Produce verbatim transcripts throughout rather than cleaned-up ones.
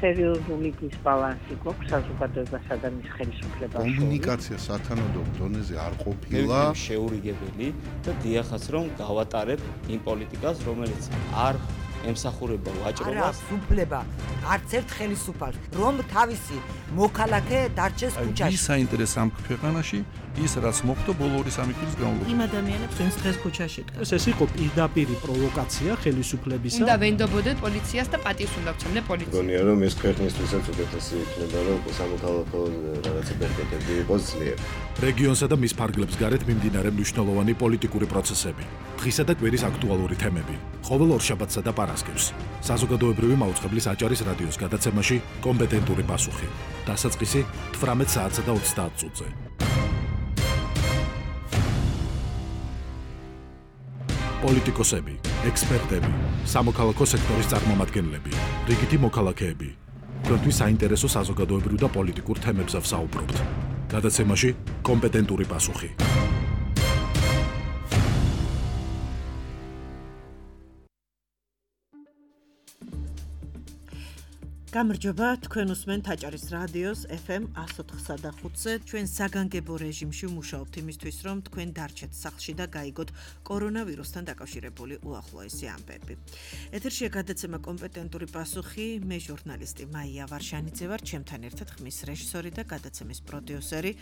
სერიოზული დისბალანსი გვაქვს საზოგადოებასა და მის ხელისუფლებას შორის. კომუნიკაცია სათანადო დონეზე არ ყოფილა. შეურიგებელი და დიახაც რომ გავატარებ იმ პოლიტიკას, რომელიც არ ემსახურება ვაჭრობას. არა, სუფლება, არც ერთ ხელისუფალს, რომ თავისი მოქალაქე დარჩეს ქუჩაში. ის საინტერესო ამ ქვეყანაში, ის რაც მოხდა ბოლო ორი სამი წლის განმავლობაში. იმ ადამიანებს, ვინც დღეს ქუჩაში დგას. ეს იყო პირდაპირი პროვოკაცია ხელისუფლებისა. უნდა ვენდობოდეთ პოლიციას და პატივს უნდა ვცემდე პოლიციას. გონია რომ ეს ქვეყნისთვისაც უკეთესი იქნება, რომ სამოქალაქო რაღაცა პერპეტები იყოს ძლიერ. რეგიონსა და მის ფარგლებს გარეთ მიმდინარე მნიშვნელოვანი პოლიტიკური პროცესები. დღისა და კვირის აქტუალური თემები. ყოველ ორშაბათსა და პარასკევს. საზოგადოებრივი მაუწყებლის აჭარის რადიოს გადაცემაში კომპეტენტური პასუხი. დასაწყისი თვრამეტ საათსა და ოცდაათ წუთზე. პოლიტიკოსები, ექსპერტები, სამოქალაქო სექტორის წარმომადგენლები, რიგითი მოქალაქეები. თქვენთვის საინტერესო საზოგადოებრივ და პოლიტიკურ თემებზე ვსაუბრობთ. გადაცემაში კომპეტენტური პასუხი. გამარჯობა, თქვენ უსმენთ აჭარის რადიოს ეფ ემ εκατო ოთხსა და ხუთზე. ჩვენ საგანგებო რეჟიმში ვმუშაობთ იმისთვის, რომ თქვენ დარჩეთ სახლში და გაიგოთ კორონავირუსთან დაკავშირებული უახლოესი ამბები. ეთერშია გადაცემა კომპეტენტური პასუხი, მე ჟურნალისტი მაია ვარშანიძე ვარ, ჩემთან ერთად ხმის რეჟისორი და გადაცემის პროდიუსერი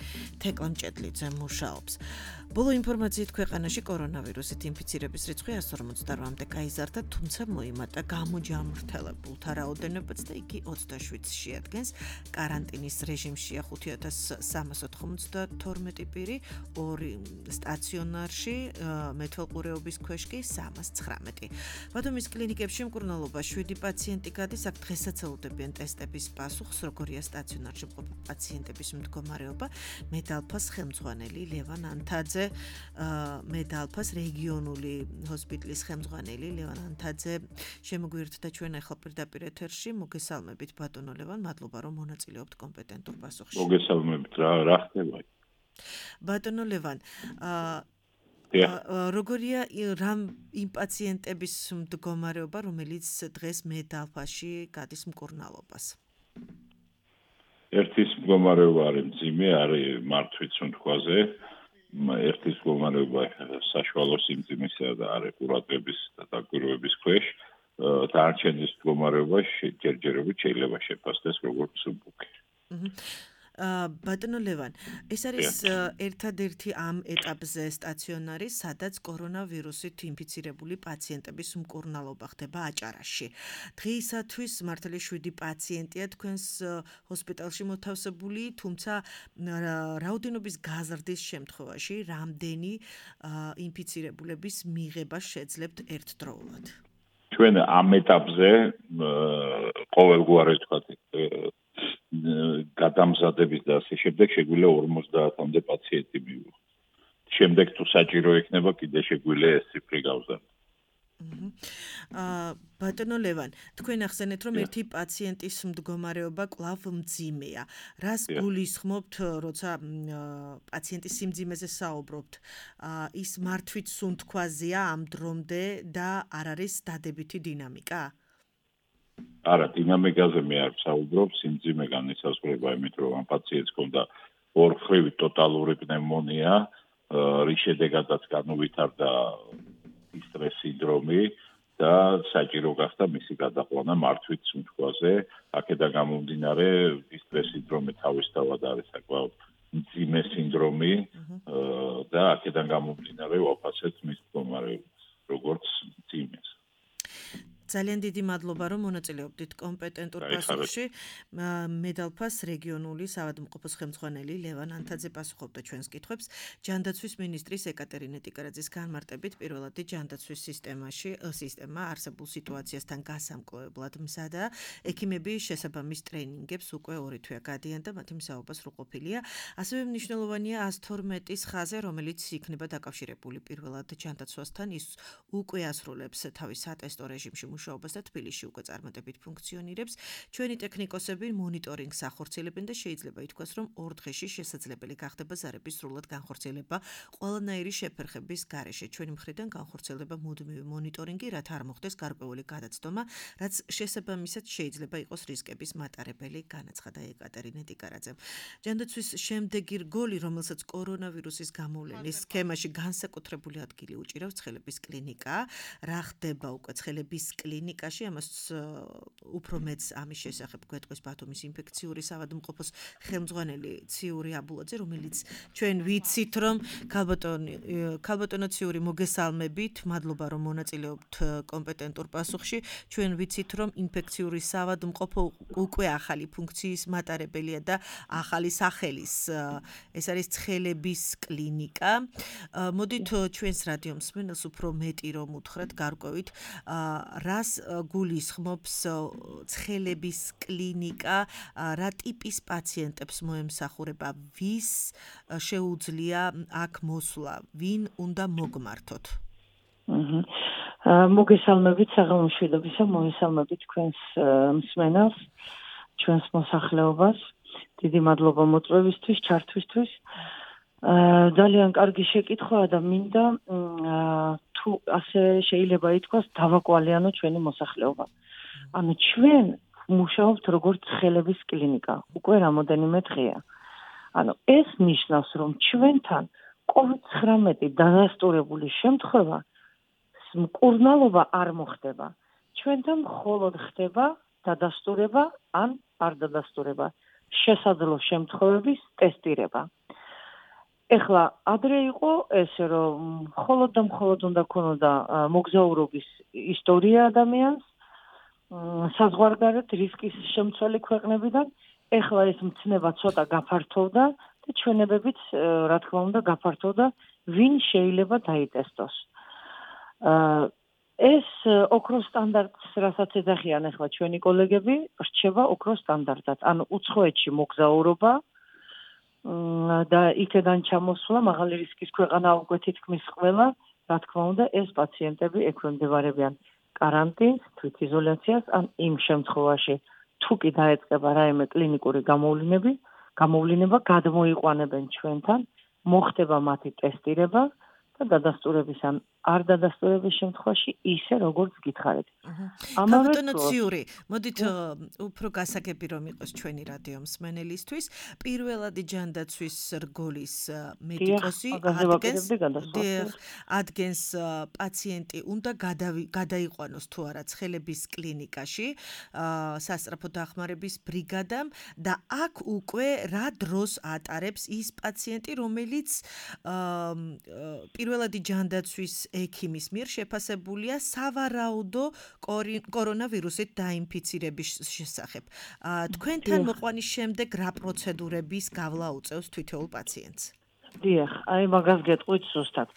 თეკლა მჭედლიძე მუშაობს. ბოლო ინფორმაციით ქვეყანაში კორონავირუსით ინფიცირების რიცხვი εκατო ორმოცდაოთხამდე გაიზარდა, თუმცა მოიმატა გამოჯამრთელებულთა რაოდენობაც და იგი ოცდაშვიდს შეადგენს. კარანტინის რეჟიმშია ხუთი ათას სამასი ოცდათორმეტი პირი, ორი სტაციონარში, მეთვალყურეობის ქვეშ კი სამას ცხრამეტი. ბათუმის კლინიკებში მკურნალობა შვიდი პაციენტი გადის, აქ დღესაც ელოდებიან ტესტების პასუხს, როგორია სტაციონარში მყოფი პაციენტების მდგომარეობა. მედალფას ხელმძღვანელი ლევან ანთაძე, მედალფას რეგიონული ჰოსპიტალის ხელმძღვანელი ლევან ანთაძე შემოგვიერთდა ჩვენ ახლა პირდაპირ ეთერში. მოგესალმებით ბატონო ლევან, მადლობა რომ მონაწილეობთ კომპეტენტურ პასუხში. მოგესალმებით, რა რა ხდება? ბატონო ლევან, როგორია რამ იმ პაციენტების მდგომარეობა, რომელიც დღეს მედალფაში გადის მკურნალობას? ერთის მდგომარეობა არის მძიმე, არის მართვის სუნთქვაზე. ერთის მდგომარეობა საშუალო სიმძიმისა და არის ყურადღების და დაკვირვების ქვეშ. დარჩენის მდგომარეობა ჯერჯერობით შეიძლება შეფასდეს როგორც სუბუქი. ბატონო ლევან, ეს არის ერთადერთი ამ ეტაპზე სტაციონარი, სადაც კორონავირუსით ინფიცირებული პაციენტების მკურნალობა ხდება აჭარაში. დღეისათვის მართალი შვიდი პაციენტია თქვენს ჰოსპიტალში მოთავსებული, თუმცა რაოდენობის გაზრდის შემთხვევაში რამდენი ინფიცირებულების მიღება შეძლებთ ერთდროულად? ჩვენ ამ ეტაპზე ყოველგვარი თქვა გადამზადების და ასე შემდეგ შეგვიძლია ორმოცდაათამდე პაციენტი მივიღოთ. შემდეგ თუ საჭირო იქნება, კიდე შეგვიძლია ეს ციფრი გავზარდოთ. ბატონო ლევან, თქვენ ახსენეთ, რომ ერთი პაციენტის მდგომარეობა კვლავ მძიმეა. რას გულისხმობთ, როცა პაციენტის სიმძიმეზე საუბრობთ? ის მართვით სუნთქვაზეა ამ დრომდე და არ არის დადებითი დინამიკა? არა, დინამიკაზე მე არ ვსაუბრობ, სიმძიმე განისაზღვრება იმით, რომ ამ პაციენტს ჰქონდა ორხრივი ტოტალური პნევმონია, რის შედეგადაც განუვითარდა სტრეს სინდრომი და საჭირო გახდა მისი გადაყვანა მართვით სუნთქვაზე. აქედან გამომდინარე, სტრეს სინდრომი თავისთავად არის საკმაოდ მძიმე სინდრომი და აქედან გამომდინარე ვაფასებთ მის მდგომარეობას, როგორც მძიმეს. ძალიან დიდი მადლობა, რომ მონაწილეობდით კომპეტენტურ პასუხში. მედალფას რეგიონული საავადმყოფოს ხელმძღვანელი ლევან ანთაძე პასუხობდა ჩვენს კითხვებს. ჯანდაცვის მინისტრის ეკატერინე ტიკარაძის განმარტებით, პირველადი ჯანდაცვის სისტემაში სისტემა არსებულ სიტუაციასთან გასამკლოებლად მზადაა. ექიმები შესაბამის ტრეინინგებს უკვე ორი თვეა გადიან და მათი მსაუბა სრულყოფილია. ასევე მნიშვნელოვანია ას თორმეტის ხაზი, რომელიც იქნება დაკავშირებული პირველად ჯანდაცვასთან. ის უკვე ასრულებს თავის სატესტო რეჟიმში მუშაობას და თბილისში უკვე წარმატებით ფუნქციონირებს. ჩვენი ტექნიკოსები მონიტორინგს ახორციელებენ და შეიძლება ითქვას, რომ ორ დღეში შესაძლებელი გახდება ზარების სრულად განხორციელება ყველანაირი შეფერხების გარეშე. ჩვენი მხრიდან განხორციელდება მუდმივი მონიტორინგი, რათა არ მოხდეს გარკვეული გადაცდომა, რაც შესაბამისად შეიძლება იყოს რისკების მატარებელი, განაცხადა ეკატერინე ტიკარაძემ. ჯანდაცვის შემდეგი რგოლი, რომელსაც კორონავირუსის გამოვლენის სქემაში განსაკუთრებული ადგილი უჭირავს, ცხელების კლინიკა. რა ხდება უკვე ცხელების კლინიკაში? ამას უფრო მეც ამის შესახებ გვეტყვის ბათუმის ინფექციური საავადმყოფოს ხელმძღვანელი ციური აბულაძე, რომელიც ჩვენ ვიცით, რომ ქალბატონო ციური მოგესალმებით, მადლობა რომ მონაწილეობთ კომპეტენტურ პასუხში. ჩვენ ვიცით, რომ ინფექციური საავადმყოფო უკვე ახალი ფუნქციის მატარებელია და ახალი სახელის ეს არის ცხელების კლინიკა. მოდით ჩვენს რადიო მსმენელს უფრო მეტი რომ უთხრათ გარკვევით, რას გულისხმობს ცხელების კლინიკა, რა ტიპის პაციენტებს მოემსახურება, ვის შეუძლია აქ მოსვლა, ვინ უნდა მოგმართოთ? მოგესალმებით საღამომშვიდობისა, მოგესალმებით თქვენს მსმენელს, ჩვენს მოსახლეობას. დიდი მადლობა მოწვევისთვის, ჩართვისთვის. ძალიან კარგი შეკითხვაა და მინდა თუ ასე შეიძლება ითქვას, დავაკვალიანო ჩვენი მოსახლეობა. ანუ ჩვენ მუშაობთ როგორც ცხელების კლინიკა, უკვე რამოდენიმე დღეა. ანუ ეს ნიშნავს, რომ ჩვენთან კოვიდ ცხრამეტი დადასტურებული შემთხვევა მკურნალობა არ მოხდება. ჩვენთან მხოლოდ ხდება დადასტურება ან არ დადასტურება, შესაძლო შემთხვევების ტესტირება. ეხლა ადრე იყო ესე რომ მხოლოდ და მხოლოდ უნდა ქონოდა მოგზაურობის ისტორია ადამიანს, საზღვარგარეთ რისკის შემცველი ქვეყნებიდან, ეხლა ეს მცნება ცოტა გაფართოვდა და ჩვენებებიც რა თქმა უნდა გაფართოვდა, ვინ შეიძლება დაიტესტოს. ეს ოქროს სტანდარტს, რასაც ეძახიან ახლა ჩვენი კოლეგები, რჩება ოქროს სტანდარტად. ანუ უცხოეთში მოგზაურობა და იქედან ჩამოსვლა მაღალი რისკის ქვეყანა უკვე თითქმის ყველა, რა თქმა უნდა, ეს პაციენტები ექვემდებარებიან კარანტინს, თვითიზოლაციას, ან იმ შემთხვევაში, თუ კი დაეწყება რაიმე კლინიკური გამოვლინები, გამოვლინება გადმოიყვანებენ ჩვენთან, მოხდება მათი ტესტირება და დადასტურების ან არ დადასტურების შემთხვევაში ისე როგორც გითხარით. ამავე ციური, მოდით უფრო გასაგები რომ იყოს ჩვენი რადიო მსმენელისთვის, პირველადი ჯანდაცვის რგოლის მედიკოსი ადგენს პაციენტი უნდა გადაიყვანოს თუ არა ცხელების კლინიკაში, სასწრაფო დახმარების ბრიგადამ და აქ უკვე რა დროს ატარებს ის პაციენტი, რომელიც პირველადი ჯანდაცვის ექიმის მიერ შეფასებულია სავარაუდო კორონავირუსით დაინფიცირების შესახებ. თქვენთან მოყვანის შემდეგ რა პროცედურების გავლა უწევს თითოეულ პაციენტს? დიახ, აი მაგას გეტყვით ზუსტად.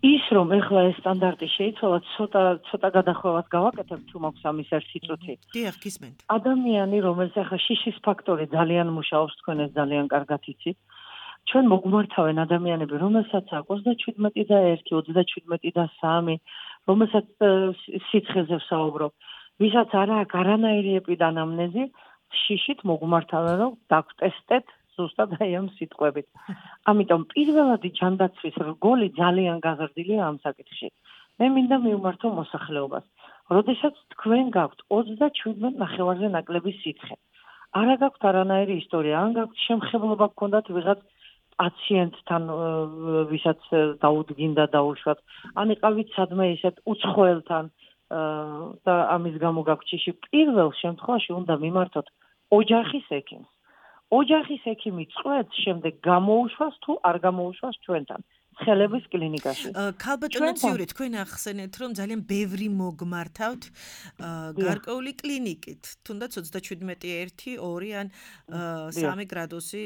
ის რომ ეხლა ეს სტანდარტი შეიცვალა, ცოტა ცოტა გადახვევას გავაკეთებ, თუ მაქვს ამის ერთი წუთი. დიახ, გისმენთ. ადამიანი, რომელსაც ახლა შიშის ფაქტორი ძალიან მუშაობს, თქვენ ეს ძალიან კარგად იცით. ჩვენ მოგმართავენ ადამიანები, რომელსაც აქვს ოცდაშვიდმეტი და ერთი, ოცდაშვიდმეტი და სამი, რომელსაც სიცხეზე ვსაუბრობ, ვისაც არ აქვს არანაირი ეპიდანამნეზი, შიშით მოგმართავენ, რომ დაგტესტეთ ზუსტად აი ამ სიტყვებით. ამიტომ პირველადი ჯანდაცვის რგოლი ძალიან გაზრდილია ამ საკითხში. მე მინდა მივმართო მოსახლეობას. როდესაც თქვენ გაქვთ ოცდაშვიდმეტ ნახევარზე ნაკლები სიცხე, არა გაქვთ არანაირი ისტორია, ან გაქვთ შემხებლობა გქონდათ ვიღაც პაციენტთან, ვისაც დაუდგინდა დაუშვათ, ან იყავით სადმე ისეთ უცხოელთან და ამის გამო გაქვთ შიში, პირველ შემთხვევაში უნდა მიმართოთ ოჯახის ექიმს. ოჯახის ექიმი წყვეტს, შემდეგ გამოუშვას თუ არ გამოუშვას ჩვენთან. ცხელების კლინიკაში. ქალბატონო ციური, თქვენ ახსენეთ, რომ ძალიან ბევრი მოგმართავთ გარკვეული კლინიკით, თუნდაც ოცდაშვიდმეტი, ერთი, ორი ან სამი გრადუსი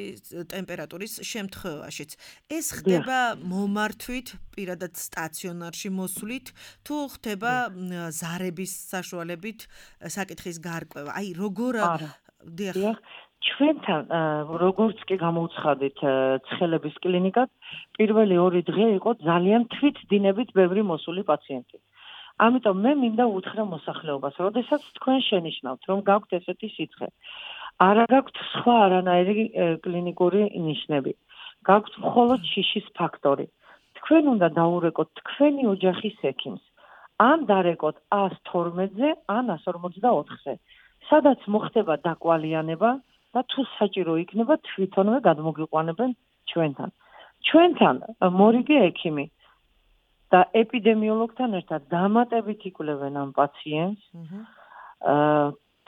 ტემპერატურის შემთხვევაშიც. ეს ხდება მომართვით, პირადად სტაციონარში მოსვლით, თუ ხდება ზარების საშუალებით საკითხის გარკვევა. აი, როგორ დიახ. ჩვენთან როგორც კი გამოუცხადეთ ცხელების კლინიკად, პირველი ორი დღე იყო ძალიან თვითდინებით ბევრი მოსული პაციენტი. ამიტომ მე მინდა უთხრა მოსახლეობას, როდესაც თქვენ შენიშნავთ, რომ გაქვთ ესეთი სიცხე, არა გაქვთ სხვა არანაირი კლინიკური ნიშნები, გაქვთ მხოლოდ შიშის ფაქტორი. თქვენ უნდა დაურეკოთ თქვენი ოჯახის ექიმს. ან დარეკოთ ას თორმეტზე, ან ას ორმოცდაოთხზე. სადაც მოხდება დაკვალიანება და თუ საჭირო იქნება, თვითონვე გადმოგიყვანებენ ჩვენთან. ჩვენთან მორიგი ექიმი და ეპიდემიოლოგთან ერთად დამატებით იკვლევენ ამ პაციენტს.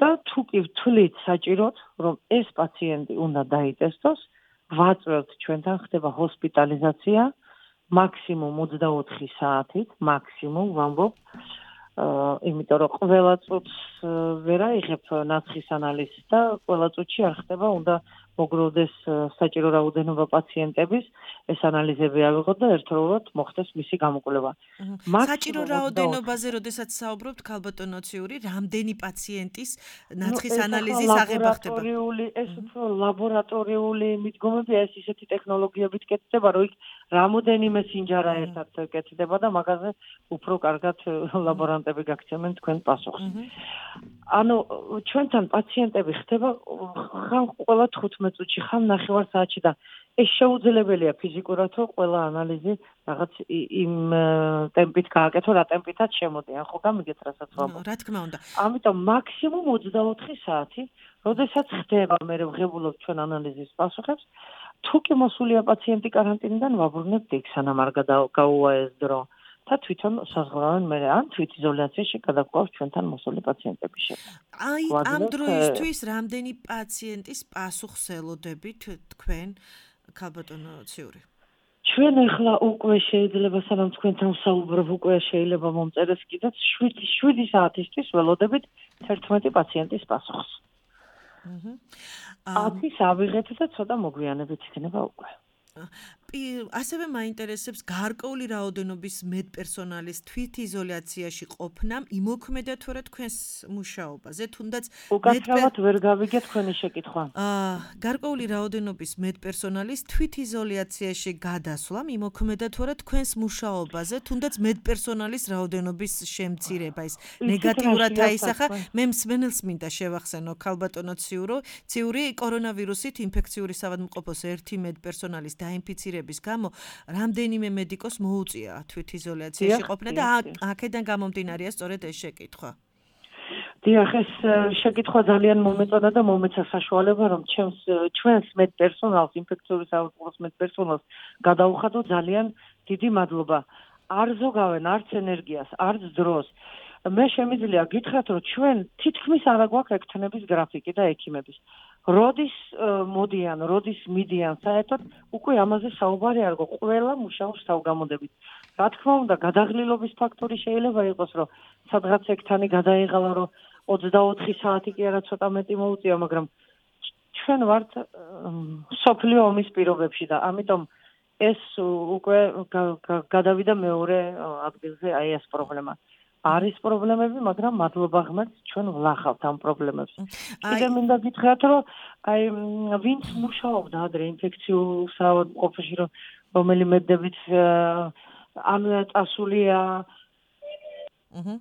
და თუ კი ვთვლით საჭიროდ, რომ ეს პაციენტი უნდა დაიტესტოს, ვაწვევთ ჩვენთან ხდება ჰოსპიტალიზაცია მაქსიმუმ ოცდაოთხი საათით, მაქსიმუმ ვამბობ, იმიტომ რომ ყველა წუთს ვერ აიღებ ნაცხის ანალიზს და ყველა წუთში არ ხდება, უნდა მოგროვდეს საჭირო რაოდენობა პაციენტების, ეს ანალიზები ავიღოთ და ერთდროულად მოხდეს მისი გამოკვლევა. საჭირო რაოდენობაზე, როდესაც საუბრობთ, ქალბატონო ციური, რამდენი პაციენტის ნაცხის ანალიზის აღება ხდება? ლაბორატორიული, ეს უფრო ლაბორატორიული მიდგომებია, ეს ისეთი ტექნოლოგიებით კეთდება, რომ იქ რამოდენიმე სინჯარა ერთად კეთდება და მაგაზე უფრო კარგად ლაბორანტები გაგცემენ თქვენ პასუხს. ანუ ჩვენთან პაციენტები ხდება ხან ყველა თხუთმეტ წუთში, ხან ნახევარ საათში და ეს შეუძლებელია ფიზიკურად, რომ ყველა ანალიზი რაღაც იმ ტემპით გააკეთო, რა ტემპითაც შემოდიან, ხო გამიგეთ რასაც ვამბობ. რა თქმა უნდა. ამიტომ მაქსიმუმ ოცდაოთხი საათი, როდესაც ხდება, მე ვღებულობ ჩვენ ანალიზის პასუხებს, თუ კი მოსულია პაციენტი კარანტინიდან, ვაბრუნებთ იქ, სანამ არ გაუვა ეს დრო. და თვითონ საზღვრავენ მე ან თვითიზოლაციაში გადაგვყავს ჩვენთან მოსული პაციენტების შექმნა. აი ამ დროისთვის რამდენი პაციენტის პასუხს ელოდებით თქვენ ქალბატონო ციური? ჩვენ ახლა უკვე შეიძლება სანამ თქვენთან ვსაუბრობ, უკვე შეიძლება მომწერეს კიდეც შვიდი საათისთვის ველოდებით თერთმეტი პაციენტის პასუხს. აჰა. ათის ავიღეთ და ცოტა მოგვიანებით იქნება უკვე. ასევე მაინტერესებს გარკვეული რაოდენობის მედპერსონალის თვითიზოლაციაში ყოფნა იმოქმედა თუ არა თქვენს მუშაობაზე, თუნდაც უკაცრავად ვერ გავიგე თქვენი შეკითხვა. აა გარკვეული რაოდენობის მედპერსონალის თვითიზოლაციაში გადასვლა იმოქმედა თუ არა თქვენს მუშაობაზე, თუნდაც მედპერსონალის რაოდენობის შემცირება ის ნეგატიურად აისახა. მე მსმენელს მინდა შევახსენო ქალბატონო ციურო, ციური კორონავირუსით ინფექციური საავადმყოფოს ერთი მედპერსონალის დაინფიცირების გამო რამდენიმე მედიკოს მოუწია თვითიზოლაციაში ყოფნა და აქედან გამომდინარეა სწორედ ეს შეკითხვა. დიახ, ეს შეკითხვა ძალიან მომეწონა და მომეცა საშუალება, რომ ჩემს ჩვენს მედპერსონალს, ინფექციური საავადმყოფოს მედპერსონალს გადაუხადო ძალიან დიდი მადლობა. არ ზოგავენ არც ენერგიას, არც დროს. მე შემიძლია გითხრათ, რომ ჩვენ თითქმის არ აგვაქვს ექთნების გრაფიკი და ექიმების. როდის მოდიან, როდის მიდიან საერთოდ, უკვე ამაზე საუბარი არ გო, ყველა მუშაობს თავგამოდებით. რა თქმა უნდა, გადაღლილობის ფაქტორი შეიძლება იყოს, რომ სადღაც ექთანი გადაიღალა, რომ ოცდაოთხი საათი კი არა ცოტა მეტი მოუწია, მაგრამ ჩვენ ვართ სოფლიო ომის პირობებში და ამიტომ ეს უკვე გადავიდა მეორე ადგილზე აი ეს პრობლემა. არის პრობლემები, მაგრამ მადლობა ღმერთს, ჩვენ ვლახავთ ამ პრობლემებს. კიდე მინდა გითხრათ, რომ აი ვინც მუშაობდა ადრე ინფექციურ საავადმყოფოში, რომელი მედებით ამ წასულია. აჰა.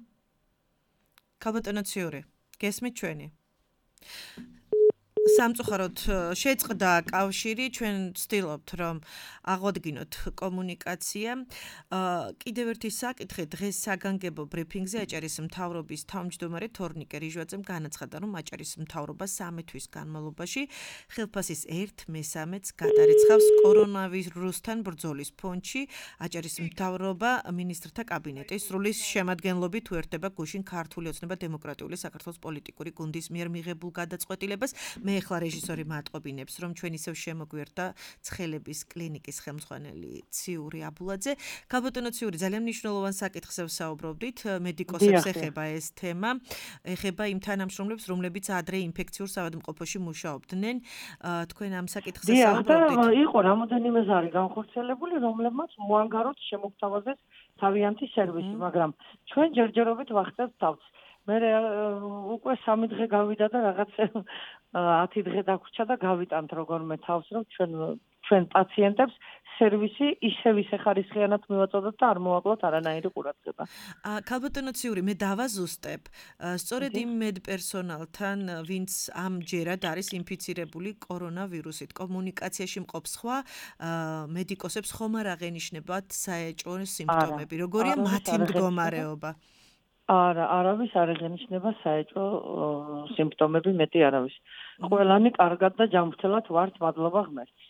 ქალბატონო ციური, გესმით ჩვენი? სამწუხაროდ შეწყდა კავშირი, ჩვენ ვცდილობთ, რომ აღვადგინოთ კომუნიკაცია. კიდევ ერთი საკითხი, დღეს საგანგებო ბრიფინგზე აჭარის მთავრობის თავმჯდომარე თორნიკე რიჟვაძემ განაცხადა, რომ აჭარის მთავრობა სამი თვის განმავლობაში ხელფასის ერთ მესამედს გადარიცხავს კორონავირუსთან ბრძოლის ფონდში. აჭარის მთავრობა მინისტრთა კაბინეტის სრული შემადგენლობით უერთდება გუშინ ქართული ოცნება დემოკრატიული საქართველოს პოლიტიკური გუნდის მიერ მიღებულ გადაწყვეტილებას. მე ახლა რეჟისორი მატყობინებს, რომ ჩვენ ისევ შემოგვერთა ცხელების კლინიკის ხელმძღვანელი ციური აბულაძე. ქალბატონო ციური, ძალიან მნიშვნელოვან საკითხზე ვსაუბრობდით, მედიკოსებს ეხება ეს თემა, ეხება იმ თანამშრომლებს, რომლებიც ადრე ინფექციურ საავადმყოფოში მუშაობდნენ. თქვენ ამ საკითხზე საუბრობდით? დიახ, იყო რამოდენიმე ზარი განხორციელებული, რომლებმაც მოანგაროთ შემოგთავაზეს თავიანთი სერვისი, მაგრამ ჩვენ ჯერჯერობით ვახცევთ თავს. მე უკვე სამი დღე გავიდა და რაღაც ათი დღე დაგვრჩა და გავიტანთ როგორმე თავს, რომ ჩვენ ჩვენ პაციენტებს სერვისი ისევ ისე ხარისხიანად მივაწოდოთ და არ მოვაკლოთ არანაირი ყურადღება. ქალბატონო ციური, მე დავაზუსტებ. სწორედ იმ მედპერსონალთან, ვინც ამჯერად არის ინფიცირებული კორონავირუსით, კომუნიკაციაში მყოფ სხვა მედიკოსებს ხომ არ აღენიშნებათ საეჭვო სიმპტომები? როგორია მათი მდგომარეობა? არა, არავის არ აღენიშნება საეჭვო სიმპტომები, მეტი არავის. ყველანი კარგად და ჯანმრთელად ვართ, მადლობა ღმერთს.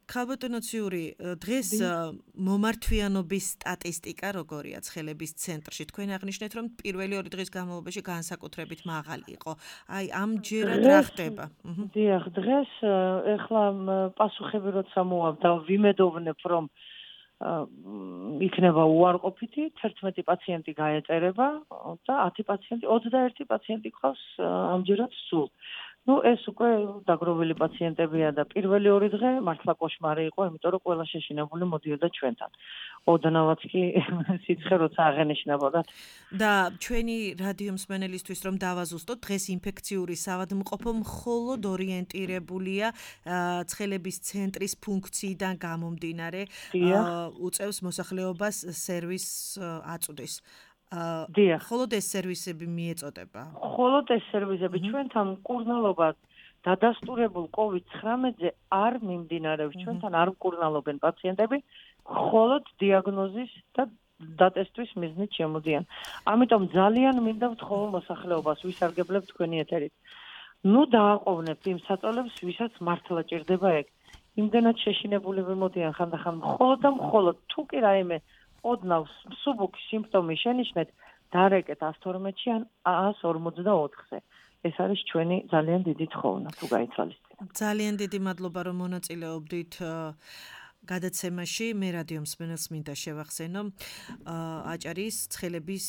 ქალბატონო ციური, დღეს მომართვიანობის სტატისტიკა როგორია ცხელების centrში? თქვენ აღნიშნეთ, რომ პირველი ორი დღის განმავლობაში განსაკუთრებით მაღალი იყო. აი, ამჯერად რა ხდება? დიახ, დღეს ეხლა პასუხები როცა მოვავდა, ვიმედოვნებ, რომ იქნება უარყოფითი, თერთმეტი პაციენტი გაეწერება და ათი პაციენტი, ოცდაერთი პაციენტი ყავს ამჯერად სულ. Ну, ეს უკვე დაგროვილი პაციენტებია და პირველი ორი დღე მართლა კოშმარი იყო, იმიტომ რომ ყველა შეშინებული მოდიოდა ჩვენთან. ოდნავაც კი სიცხე როცა აღენიშნებოდა. და ჩვენი რადიო მსმენელისთვის რომ დავაზუსტოთ, დღეს ინფექციური საავადმყოფო მხოლოდ ორიენტირებულია ცხელების ცენტრის ფუნქციიდან გამომდინარე, უწევს მოსახლეობას სერვისს აწვდის. დიახ. მხოლოდ ეს სერვისები მიეწოდება. მხოლოდ ეს სერვისები ჩვენთან მკურნალობა დადასტურებულ კოვიდ ცხრამეტზე არ მიმდინარეობს. ჩვენთან არ მკურნალობენ პაციენტები, მხოლოდ დიაგნოზის და დატესტვის მიზნით შემოდიან. ამიტომ ძალიან მინდა ვთხოვო მოსახლეობას, ვისარგებლებ თქვენი ეთერით. ნუ დააყოვნებთ იმ საწოლებს, ვისაც მართლა ჭირდება ეგ. იმდენად შეშინებულები მოდიან ხანდახან მხოლოდ და მხოლოდ თუ კი რაიმე ოდნავ მსუბუქი სიმპტომი შენიშნეთ, დარეკეთ ას თორმეტში ან ას ორმოცდაოთხზე. ეს არის ჩვენი ძალიან დიდი თხოვნა, თუ გაიცვალისწინებთ. ძალიან დიდი მადლობა, რომ მონაწილეობდით გადაცემაში. მე რადიო მსმენელს მინდა შევახსენო, აჭარის ცხელების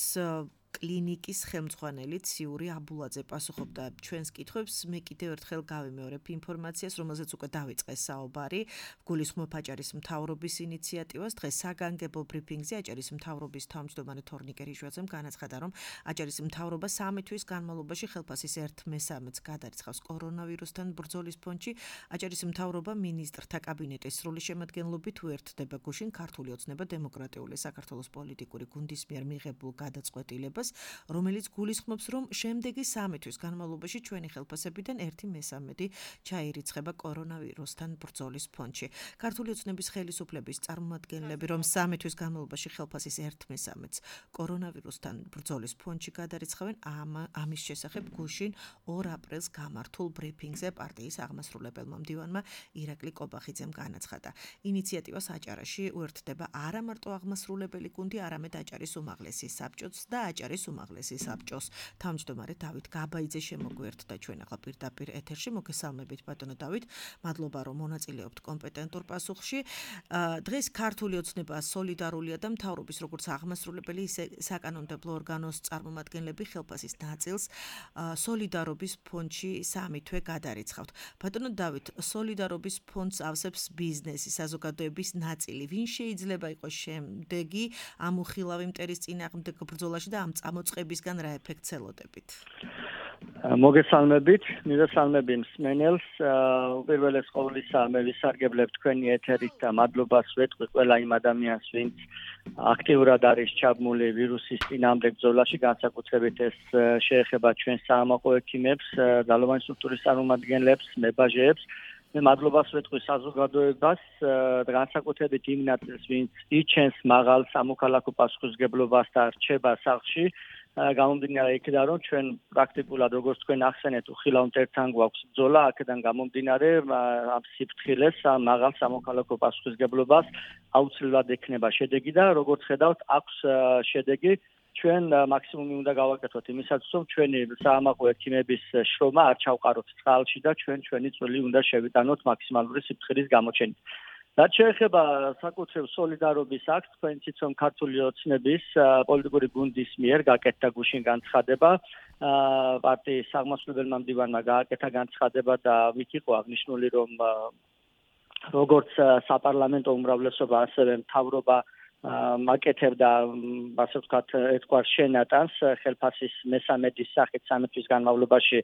კლინიკის ხელმძღვანელი ციური აბულაძე პასუხობდა ჩვენს კითხვებს. მე კიდევ ერთხელ გავიმეორებ ინფორმაციას, რომელზეც უკვე დავიწყე საუბარი. გულისხმობ აჭარის მთავრობის ინიციატივას. დღეს საგანგებო ბრიფინგზე აჭარის მთავრობის თავმჯდომარე თორნიკე რიჟვაძემ განაცხადა, რომ აჭარის მთავრობა სამი თვის განმავლობაში ხელფასის ერთ მესამედს გადარიცხავს კორონავირუსთან ბრძოლის ფონდში. აჭარის მთავრობა მინისტრთა კაბინეტის სრული შემადგენლობით უერთდება გუშინ ქართული ოცნება დემოკრატიული საქართველოს პოლიტიკური გუნდის მიერ მიღებულ გადაწყვეტილებას, რომელიც გულისხმობს, რომ შემდეგი სამი თვის განმავლობაში ჩვენი ხელფასებიდან ერთი მესამედი ჩაირიცხება კორონავირუსთან ბრძოლის ფონდში. ქართული ოცნების ხელისუფლების წარმომადგენლები, რომ სამი თვის განმავლობაში ხელფასის ერთ მესამედს კორონავირუსთან ბრძოლის ფონდში გადარიცხავენ, ამის შესახებ გუშინ ორ აპრილს გამართულ ბრიფინგზე პარტიის აღმასრულებელმა მდივანმა ირაკლი კობახიძემ განაცხადა. ინიციატივას აჭარაში უერთდება არა მარტო აღმასრულებელი გუნდი, არამედ აჭარის უმაღლესი საბჭოც და აჭარის უმაღლესი საბჭოს თავმჯდომარე დავით გაბაიძე შემოგვიერთდა ჩვენ ახლა პირდაპირ ეთერში. მოგესალმებით ბატონო დავით, მადლობა რომ მონაწილეობთ კომპეტენტურ პასუხში. დღეს ქართული ოცნება სოლიდარულია და მთავრობის როგორც აღმასრულებელი, ისე საკანონმდებლო ორგანოს წარმომადგენლები ხელფასის ნაწილს სოლიდარობის ფონდში სამი თვე გადარიცხავთ. ბატონო დავით, სოლიდარობის ფონდს ავსებს ბიზნესი, საზოგადოების ნაწილი. ვინ შეიძლება იყოს შემდეგი ამ უხილავი მტერის წინააღმდეგ ბრძოლაში და ამ წამოწყებისგან რა ეფექტს ელოდებით? მოგესალმებით, მივესალმები მსმენელს. უპირველეს ყოვლისა მე ვისარგებლებ თქვენი ეთერით და მადლობას ვეტყვი ყველა იმ ადამიანს, ვინც აქტიურად არის ჩაბმული ვირუსის წინააღმდეგ ბრძოლაში, განსაკუთრებით ეს შეეხება ჩვენ საამაყო ექიმებს, ძალოვანი სტრუქტურის წარმომადგენლებს, მებაჟეებს. მე მადლობას ვეტყვი საზოგადოებას, განსაკუთრებით იმ ნაწილს, ვინც იჩენს მაღალ სამოქალაქო პასუხისმგებლობას და რჩება სახლში. გამომდინარე იქიდან, რომ ჩვენ პრაქტიკულად როგორც თქვენ ახსენეთ, უხილავ მტერთან გვაქვს ბრძოლა, აქედან გამომდინარე ამ სიფრთხილეს, მაღალ სამოქალაქო პასუხისმგებლობას აუცილებლად ექნება შედეგი და როგორც ხედავთ, აქვს შედეგი. ჩვენ მაქსიმუმი უნდა გავაკეთოთ იმისათვის, რომ ჩვენი საამაყო ექიმების შრომა არ ჩავყაროთ წყალში და ჩვენ ჩვენი წვლილი უნდა შევიტანოთ მაქსიმალური სიფრთხილის გამოჩენით. რაც შეეხება საკუთრივ სოლიდარობის აქტს, თქვენ იცით, რომ ქართული ოცნების პოლიტიკური გუნდის მიერ გაკეთდა გუშინ განცხადება, პარტიის აღმასრულებელმა მდივანმა გააკეთა განცხადება და მით იყო აღნიშნული, რომ როგორც საპარლამენტო უმრავლესობა, ასევე მთავრობა მაკეთებდა ასე ვთქვათ ერთგვარ შენატანს ხელფასის მესამედის სახით სამი თვის განმავლობაში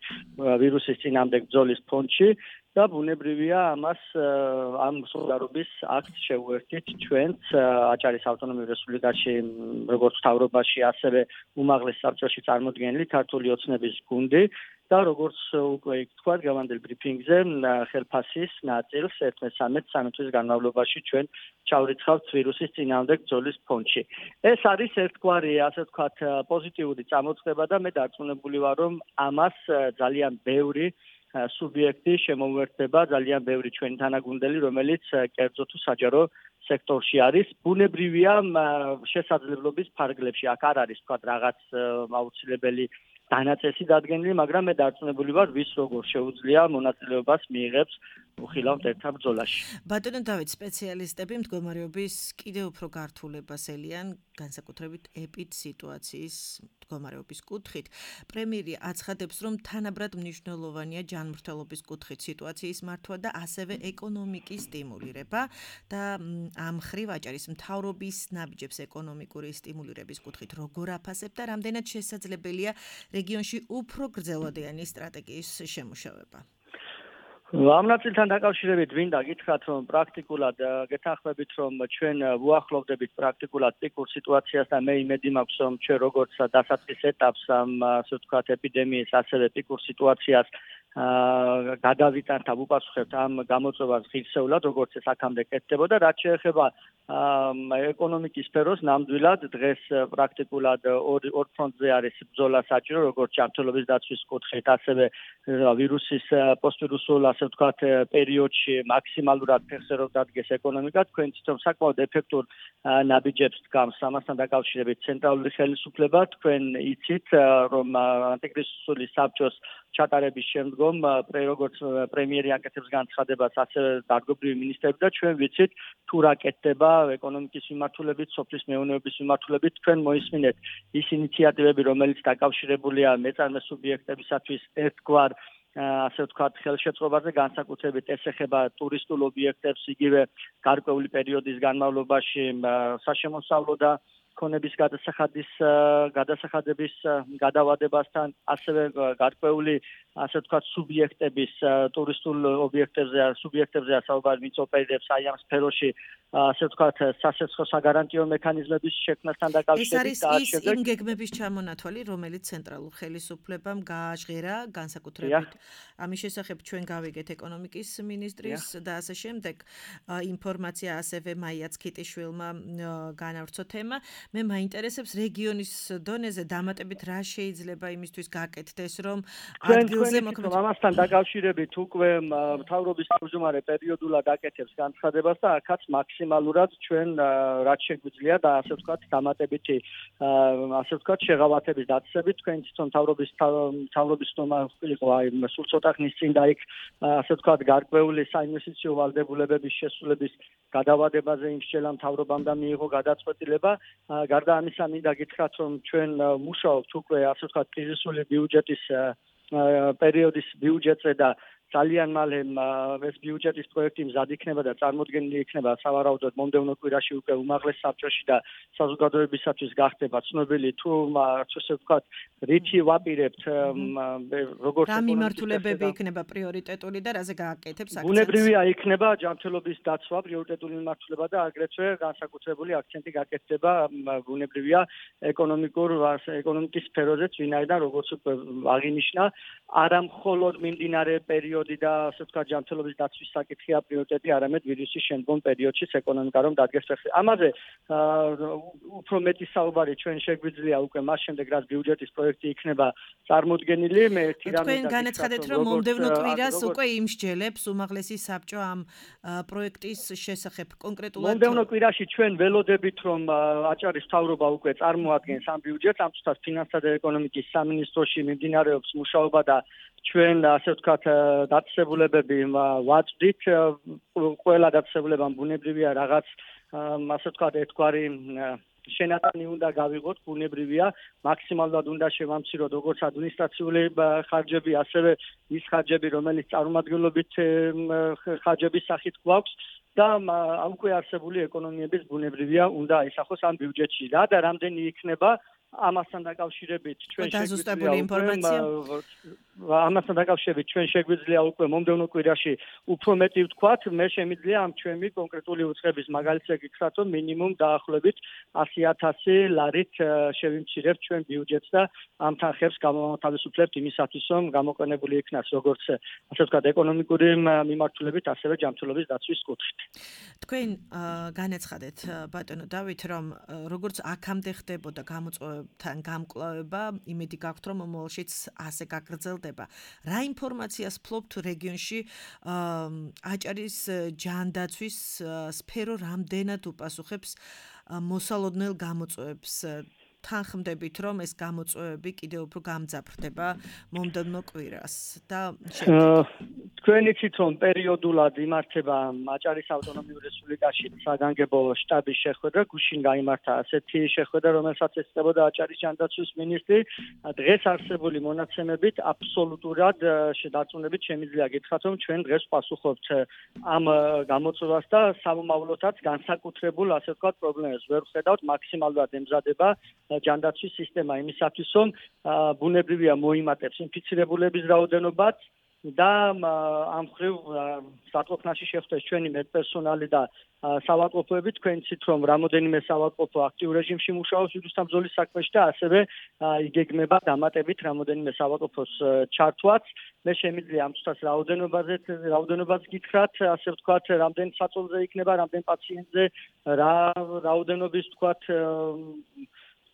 ვირუსის წინააღმდეგ ბრძოლის ფონდში და ბუნებრივია ამას ამ სოლიდარობის აქტს შევუერთდით ჩვენც აჭარის ავტონომიურ რესპუბლიკაში როგორც მთავრობაში ასევე უმაღლეს საბჭოში წარმოდგენილი ქართული ოცნების გუნდი და როგორც უკვე თქვა გავანდელ ბრიფინგზე ხელფასის ნაწილს ერთ მესამედ სამი თვის განმავლობაში ჩვენ ჩავრიცხავთ ვირუსის წინააღმდეგ ბრძოლის ფონდში. ეს არის ერთგვარი ასე ვთქვათ პოზიტიური წამოწყება და მე დარწმუნებული ვარ რომ ამას ძალიან ბევრი სუბიექტი შემოუერთდება ძალიან ბევრი ჩვენი თანაგუნდელი რომელიც კერძო თუ საჯარო სექტორში არის ბუნებრივია შესაძლებლობის ფარგლებში აქ არ არის თქვა რაღაც აუცილებელი დანაწესი დადგენილი მაგრამ მე დარწმუნებული ვარ ვის როგორ შეუძლია მონაწილეობას მიიღებს უხილავთ ერთად ბრძოლაში. ბატონო დავით სპეციალისტები მდგომარეობის კიდევ უფრო გართულებას ელიან განსაკუთრებით ეპიდ სიტუაციის მდგომარეობის კუთხით. პრემიერი აცხადებს რომ თანაბრად მნიშვნელოვანია ჯანმრთელობის კუთხით სიტუაციის მართვა და ასევე ეკონომიკის სტიმულირება და ამ ხრივ აჭარის მთავრობის ნაბიჯებს ეკონომიკური სტიმულირების კუთხით როგორ აფასებ და რამდენად შესაძლებელია რეგიონში უფრო გრძელვადიანი სტრატეგიის შემუშავება. ამ ნაწილთან დაკავშირებით ვინდა გითხრათ რომ პრაქტიკულად გეთანხმებით რომ ჩვენ ვუახლოვდებით პრაქტიკულად პიკურ სიტუაციას და მე იმედი მაქვს რომ ჩვენ როგორც დასაწყის ეტაპს ამ ასე ვთქვათ ეპიდემიის ასევე პიკურ სიტუაციას გადავიტანთ და ვუპასუხებთ ამ გამოწვევას ღირსეულად როგორც ეს აქამდე კეთდებოდა რაც შეეხება ეკონომიკის სფეროს ნამდვილად დღეს პრაქტიკულად ორ ფრონტზე არის ბრძოლა საჭირო როგორც ჯანმრთელობის დაცვის კუთხით ასევე ვირუსის პოსტვირუსულ ასე ვთქვათ პერიოდში მაქსიმალურად ფეხსერով დადგეს ეკონომიკა თქვენ თვითონ საკმაოდ ეფექტურ ნაბიჯებს დგამს ამასთან დაკავშირებით ცენტრალური ხელისუფლება თქვენ იცით რომ ანტიკრიზისული საბჭოს ჩატარების შემდგომ როგორც პრემიერი აკეთებს განცხადებას ასევე დარგობრივი მინისტრები და ჩვენ ვიცით თუ რა კეთდება ეკონომიკის მიმართულებით, სოფლის მეურნეობის მიმართულებით თქვენ მოისმინეთ ის ინიციატივები რომელიც დაკავშირებულია მეწარმე სუბიექტებისათვის ერთგვარ ასე ვთქვათ ხელშეწყობაზე განსაკუთრებით ეს ეხება ტურისტულ ობიექტებს იგივე გარკვეული პერიოდის განმავლობაში საშემოსავლო და ქონების გადასახადის გადასახადების გადავადებასთან ასევე გარკვეული ასე ვთქვათ სუბიექტების ტურისტულ ობიექტებზე სუბიექტებზე საუბარი ვინც ოპერირებს აი ამ სფეროში ასე ვთქვათ სასეცხო საგარანტიო მექანიზმების შექმნასთან დაკავშირებით და ეს არის იმ გეგმების ჩამონათვალი რომელიც ცენტრალურ ხელისუფლებამ გააჟღერა განსაკუთრებით ამის შესახებ ჩვენ გავიგეთ ეკონომიკის მინისტრის და ასე შემდეგ ინფორმაცია ასევე მაიაც ქიტიშვილმა განავრცო თემა მე მაინტერესებს რეგიონის დონეზე დამატებით რა შეიძლება იმისთვის გაკეთდეს რომ ადგილზე მოქმედ ამასთან დაკავშირებით უკვე მთავრობის თავმჯდომარე პერიოდულად აკეთებს განცხადებას და აქაც მაქსიმალურად ჩვენ რაც შეგვიძლია და ასე ვთქვათ დამატებითი ასე ვთქვათ შეღავათების დაწესებით თქვენ თვითონ მთავრობის მთავრობის თომა იყო აი სულ ცოტა ხნის წინ და იქ ასე ვთქვათ გარკვეული საინვესტიციო ვალდებულებების შესრულების გადავადებაზე იმსჯელა მთავრობამ და მიიღო გადაწყვეტილება გარდა ამისა მინდა გითხრათ რომ ჩვენ მუშაობთ უკვე ასე ვთქვათ კრიზისული ბიუჯეტის პერიოდის ბიუჯეტზე და ძალიან მალე ეს ბიუჯეტის პროექტი მზად იქნება და წარმოდგენილი იქნება სავარაუდოდ მომდევნო კვირაში უკვე უმაღლეს საბჭოში და საზოგადოებისათვის გახდება ცნობილი თუ ასე ვთქვათ რითი ვაპირებთ როგორც რა მიმართულებები იქნება პრიორიტეტული და რაზე გააკეთებს აქცენტს ბუნებრივია იქნება ჯანმრთელობის დაცვა პრიორიტეტული მიმართულება და აგრეთვე განსაკუთრებული აქცენტი გაკეთდება ბუნებრივია ეკონომიკურ ეკონომიკის სფეროზეც ვინაიდან როგორც უკვე აღინიშნა არა მხოლოდ მიმდინარე პერიოდი და ასე ვთქვათ ჯანმრთელობის დაცვის საკითხია პრიორიტეტი, არამედ ვირუსის შემდგომ პერიოდშიც ეკონომიკა რომ დადგეს ფეხზე. ამაზე უფრო მეტი საუბარი ჩვენ შეგვიძლია უკვე მას შემდეგ რაც ბიუჯეტის პროექტი იქნება წარმოდგენილი. მე ერთი რამე თქვენ განაცხადეთ რომ მომდევნო კვირას უკვე იმსჯელებს უმაღლესი საბჭო ამ პროექტის შესახებ კონკრეტულად მომდევნო კვირაში ჩვენ ველოდებით რომ აჭარის მთავრობა უკვე წარმოადგენს ამ ბიუჯეტს, ამ თვითონ ფინანსთა და ეკონომიკის სამინისტროში მიმდინარეობს მუშაობა და ჩვენ ასე ვთქვათ დაწესებულებები ვაწვდით ყველა დაწესებულებამ ბუნებრივია რაღაც ასე ვთქვათ ერთგვარი შენატანი უნდა გავიღოთ, ბუნებრივია, მაქსიმალურად უნდა შევამციროთ როგორც ადმინისტრაციული ხარჯები, ასევე ის ხარჯები, რომელიც წარმომადგენლობით ხარჯების სახით გვაქვს და უკვე არსებული ეკონომიების ბუნებრივია უნდა აისახოს ამ ბიუჯეტში. რა და რამდენი იქნება ამასთან დაკავშირებით ჩვენ შეგვიძლია ინფორმაცია ამასთან დაკავშირებით ჩვენ შეგვიძლია უკვე მომდევნო კვირაში უფრო მეტი ვთქვათ, მე შემიძლია ამ ჩვენი კონკრეტული უცხების მაგალითზე გითხრათ, რომ მინიმუმ დაახლოებით ასი ათასი ლარით შევიმცირებთ ჩვენ ბიუჯეტს და ამ თანხებს გამოვათავისუფლებთ იმისათვის, რომ გამოყენებული იქნას როგორც ასე ვთქვათ ეკონომიკური მიმართულებით, ასევე ჯანმრთელობის დაცვის კუთხით. თქვენ განაცხადეთ ბატონო დავით, რომ როგორც აქამდე ხდებოდა გამოწვევებთან გამკლავება, იმედი გაქვთ, რომ მომავალშიც ასე გაგრძელდება. რა ინფორმაციას ფლობთ რეგიონში აჭარის ჯანდაცვის სფერო რამდენად უპასუხებს მოსალოდნელ გამოწვევებს? თანხმდებით, რომ ეს გამოწვევები კიდევ უფრო გამძაფრდება მომდევნო კვირას და თქვენ იცით, რომ პერიოდულად იმართება აჭარის ავტონომიურ რესპუბლიკაში საგანგებო შტაბის შეხვედრა, გუშინ გაიმართა ასეთი შეხვედრა, რომელსაც ესწრებოდა აჭარის ჯანდაცვის მინისტრი. დღეს არსებული მონაცემებით აბსოლუტურად დარწმუნებით შემიძლია გითხრათ, რომ ჩვენ დღეს ვპასუხობთ ამ გამოწვევას და სამომავლოდაც განსაკუთრებულ, ასე ვთქვათ, პრობლემებს ვერ ვხედავთ, მაქსიმალურად ემზადება ჯანდაცვის სისტემა იმისათვის, რომ ბუნებრივია მოიმატებს ინფიცირებულების რაოდენობაც და ამ ხრივ სათვალთნაში შეხვდეს ჩვენი მედპერსონალი და საავადმყოფოები. თქვენ იცით, რომ რამოდენიმე საავადმყოფო აქტიურ რეჟიმში მუშაობს ვირუსთან ბრძოლის საქმეში და ასევე იგეგმება დამატებით რამოდენიმე საავადმყოფოს ჩართვაც. მე შემიძლია ამ თვისას რაოდენობაზე რაოდენობას გითხრათ, ასე ვთქვათ, რამდენ საწოლზე იქნება, რამდენ პაციენტზე, რა რაოდენობის ვთქვათ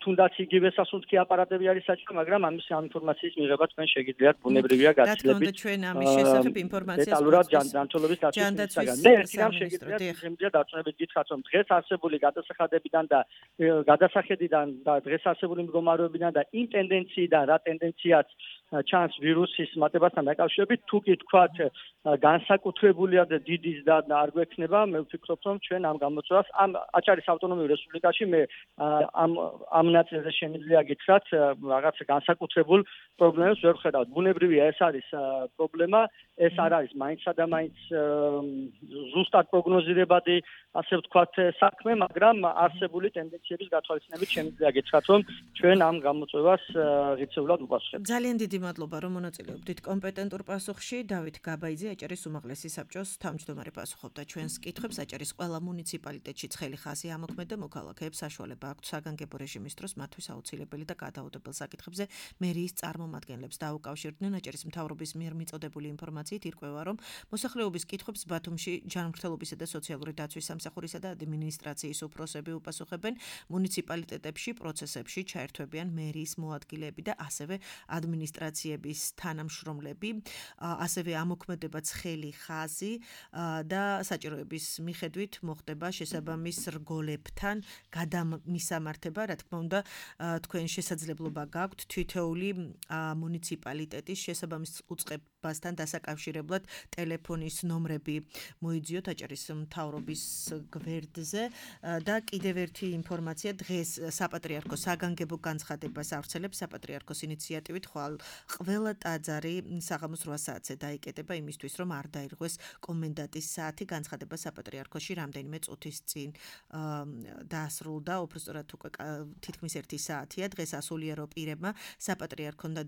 თუნდაც იგივე სასუნთქი აპარატები არის საჭირო, მაგრამ ამის ინფორმაციის მიღება თქვენ შეგიძლიათ ბუნებრივია გაცილებით. რა თქმა უნდა, ჩვენ ამის შესახებ ინფორმაციას დეტალურად ჯანდაცვის დაცვის. მე ერთიდან შეგიძლიათ შემიძლია დარწმუნებით გითხრათ, რომ დღეს არსებული გადასახადებიდან და გადასახედიდან და დღეს არსებული მდგომარეობიდან და იმ ტენდენციიდან, რა ტენდენციაც ჩანს ვირუსის მატებასთან დაკავშირებით, თუ კი თქვათ განსაკუთრებულია და დიდი ზრდა არ გვექნება, მე ვფიქრობ, რომ ჩვენ ამ გამოწვევას ამ აჭარის ავტონომიურ რესპუბლიკაში მე ამ ამ ნაწილზე შემიძლია გითხრათ, რაღაც განსაკუთრებულ პრობლემებს ვერ ვხედავთ. ბუნებრივია ეს არის პრობლემა, ეს არ არის მაინცსა და მაინც ზუსტად პროგნოზირებადი, ასე ვთქვათ, საქმე, მაგრამ არსებული ტენდენციების გათვალისწინებით შემიძლია გითხრათ, რომ ჩვენ ამ გამოწვევას ღირსეულად ვუპასუხებთ. ძალიან დიდი მადლობა, რომ მონაწილეობდით კომპეტენტურ პასუხში. დავით გაბაიძე, აჭარის უმაღლესი საბჭოს თავმჯდომარე პასუხობდა ჩვენს კითხვებს. აჭარის ყველა მუნიციპალიტეტში ცხელი ხაზი ამოქმედა, მოქალაქეებს საშუალება აქვთ საგანგებო რეჟიმის დროს მათთვის აუცილებელი და გადაუდებელ საკითხებზე მერიის წარმომადგენლებს დაუკავშირდნენ. აჭარის მთავრობის მიერ მიწოდებული ინფორმაციით ირკვევა, რომ მოსახლეობის კითხვებს ბათუმში ჯანმრთელობისა და სოციალური დაცვის სამსახურისა და ადმინისტრაციის უფროსები უპასუხებენ. მუნიციპალიტეტებში პროცესებში ჩაერთვებიან მერიის მოადგილეები და ასევე ადმინისტრაციების თანამშრომლები. ასევე ამოქმედება ცხელი ხაზი და საჭიროების მიხედვით მოხდება შესაბამის რგოლებთან გადამისამართება. რა თქმა უნდა, თქვენ შესაძლებლობა გაქვთ თითოეული მუნიციპალიტეტის შესაბამის უწყებასთან დასაკავშირებლად ტელეფონის ნომრები მოიძიოთ აჭარის მთავრობის გვერდზე და კიდევ ერთი ინფორმაცია, დღეს საპატრიარქოს საგანგებო განცხადებას ავრცელებს საპატრიარქოს ინიციატივით, ხვალ ყველა ტაძარი საღამოს რვა საათზე დაიკეტება იმისთვის, რომ არ დაირღვეს კომენდანტის საათი. განცხადება საპატრიარქოში რამდენიმე წუთის წინ დაასრულდა, უბრალოდ უკვე თითქმის ერთი საათია. დღეს ასულიერო პირებმა საპატრიარქონ და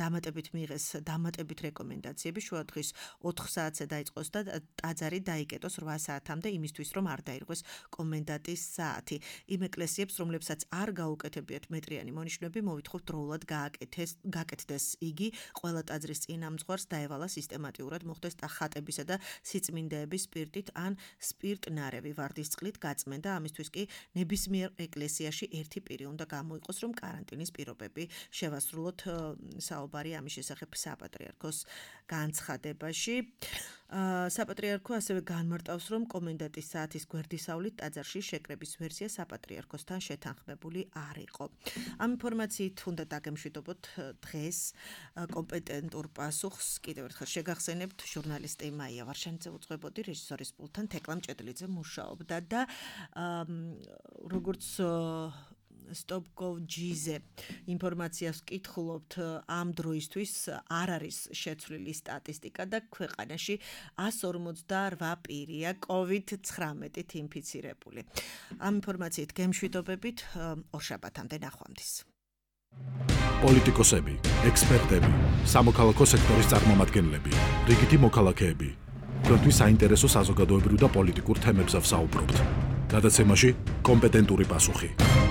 დამატებით მიიღეს დამატებით რეკომენდაციები, შუა დღის ოთხ საათზე დაიწყოს და ტაძარი დაიკეტოს რვა საათამდე იმისთვის, რომ არ დაირღვეს კომენდანტის საათი. იმ ეკლესიებს, რომლებსაც არ გაუკეთებიათ მეტრიანი მონიშნები, მოვითხოვთ დროულად გააკეთეს გაკეთდეს იგი. ყველა ტაძრის წინამძღვარს დაევალა სისტემატიურად მოხდეს ხატებისა და სიწმინდეების სპირტით ან სპირტნარევი ვარდისწყლით გაწმენდა. ამისთვის კი ნებისმიერ ეკლესიაში ერთი პირი უნდა გამოიყოს, რომ კარანტინის პირობები შევასრულოთ. საუბარი ამის შესახებ საპატრიარქოს განცხადებაში. საპატრიარქო ასევე განმარტავს, რომ კომენდანტის საათის გვერდისავლით ტაძარში შეკრების ვერსია საპატრიარქოსთან შეთანხმებული არ იყო. ამ ინფორმაციით უნდა დაგემშვიდობოთ დღეს კომპეტენტურ პასუხს კიდევ ერთხელ შეგახსენებთ ჟურნალისტი მაია ვარშანიძე უძღვებოდი რეჟისორის პულტთან თეკლა მჭედლიძე მუშაობდა და როგორც stop.gov.gt-ზე ინფორმაციას ვკითხულობთ ამ დროისთვის არ არის შეცვლილი სტატისტიკა და ქვეყანაში εκατს ორმოცდაორ პირია კოვიდ ცხრამეტით ინფიცირებული. ამ ინფორმაციით გემშვიდობებით ორშაბათამდე ნახვამდის. პოლიტიკოსები, ექსპერტები, სამოქალაქო სექტორის წარმომადგენლები, რიგითი მოქალაქეები. თქვენთვის საინტერესო საზოგადოებრივ და პოლიტიკურ თემებზე ვსაუბრობთ. გადაცემაში კომპეტენტური პასუხი.